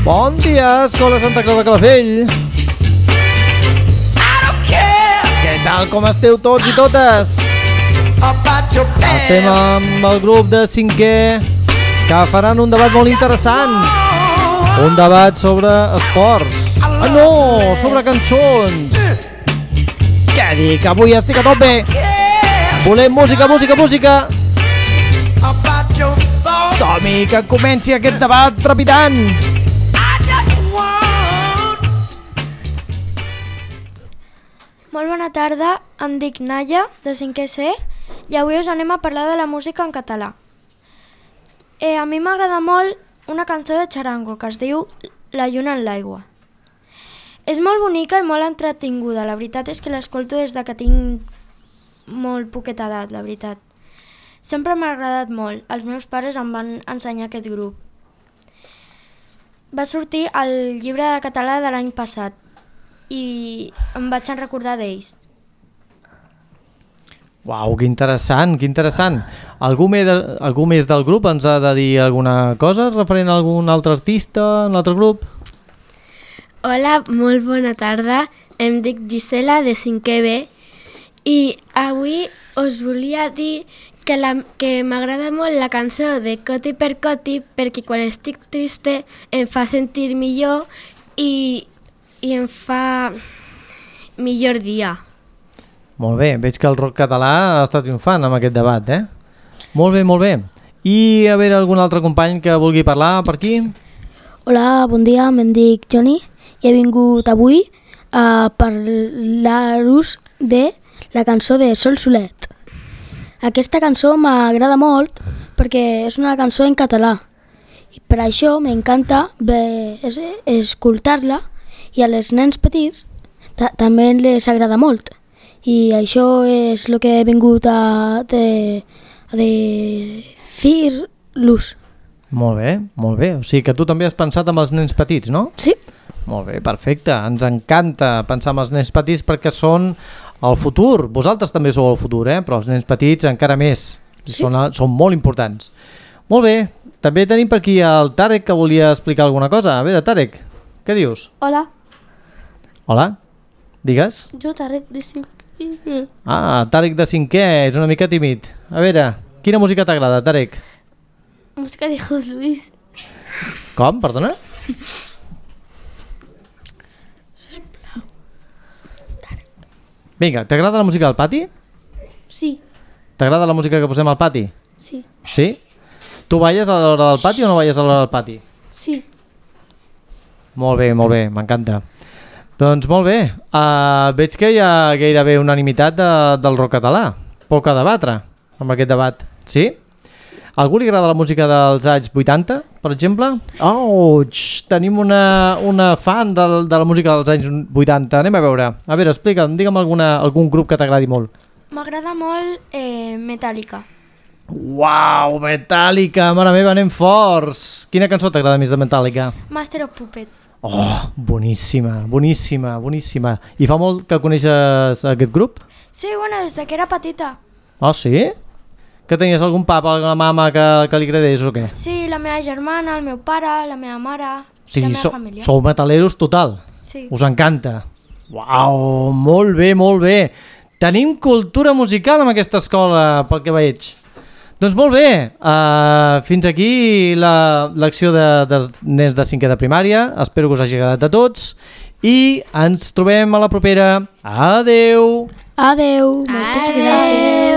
Bon dia, Escola Santa Creu de Calafell. Què tal, com esteu tots i totes? Estem amb el grup de 5è que faran un debat molt interessant. Un debat sobre esports. Ah no, sobre cançons. Què dic, avui estic a tope. Volem música, música, música. Som-hi, que comenci aquest debat trepidant. Molt bona tarda, em dic Naya, de 5è C, i avui us anem a parlar de la música en català. A mi m'agrada molt una cançó de Charango que es diu La lluna en l'aigua. És molt bonica i molt entretinguda, la veritat és que l'escolto des de que tinc molt poqueta edat, la veritat. Sempre m'ha agradat molt, els meus pares em van ensenyar aquest grup. Va sortir al llibre de català de l'any passat i em vaig recordar d'ells. Uau, que interessant, que interessant. Algú més del grup ens ha de dir alguna cosa referent a algun altre artista, un altre grup? Hola, molt bona tarda. Em dic Gisela, de 5è B, i avui us volia dir que m'agrada molt la cançó de Coti per Coti perquè quan estic triste em fa sentir millor i em fa millor dia. Molt bé, veig que el rock català està triomfant amb aquest debat, eh? Molt bé, molt bé. I a veure, algun altre company que vulgui parlar per aquí? Hola, bon dia, em dic Johnny i he vingut avui a parlar-vos de la cançó de Sol Solet. Aquesta cançó m'agrada molt perquè és una cançó en català i per això m'encanta escoltar-la i a les nens petits també les agrada molt i això és el que he vingut a dir-los. Molt bé. O sigui que tu també has pensat amb els nens petits, no? Sí. Molt bé, perfecte. Ens encanta pensar en els nens petits perquè són el futur. Vosaltres també sou el futur, però els nens petits encara més. Sí. Són molt importants. Molt bé, també tenim per aquí el Tarek que volia explicar alguna cosa. A veure, Tarek, què dius? Hola. Hola, digues. Jo, Tarek, de 5è. Ah, Tarek de 5è, és una mica tímid. A veure, quina música t'agrada, Tarek? Música de José Luis. Com, perdona? Vinga, t'agrada la música del pati? Sí. T'agrada la música que posem al pati? Sí. Sí? Tu balles a l'hora del pati o no balles a l'hora del pati? Sí. Molt bé, m'encanta. Doncs molt bé, veig que hi ha gairebé unanimitat del rock català. Poc a debatre amb aquest debat. Sí? Algú li agrada la música dels anys 80, per exemple? Oh, tenim una fan de la música dels anys 80. Anem a veure. A veure, explica'm, digue'm algun grup que t'agradi molt. M'agrada molt Metallica. Uau, Metallica, mare meva, anem forts. Quina cançó t'agrada més de Metallica? Master of Puppets. Oh, boníssima. I fa molt que coneixes aquest grup? Sí, bueno, des que era petita. Oh, sí? Que tenies algun papa o la mama que li agradés o què? Sí, la meva germana, el meu pare, la meva mare, sí, la meva família. Sou metaleros total. Sí. Us encanta. Uau, molt bé. Tenim cultura musical en aquesta escola, pel que veig. Doncs molt bé, fins aquí l'acció dels nens de 5è de primària. Espero que us hagi agradat a tots i ens trobem a la propera. Adeu. Moltes gràcies.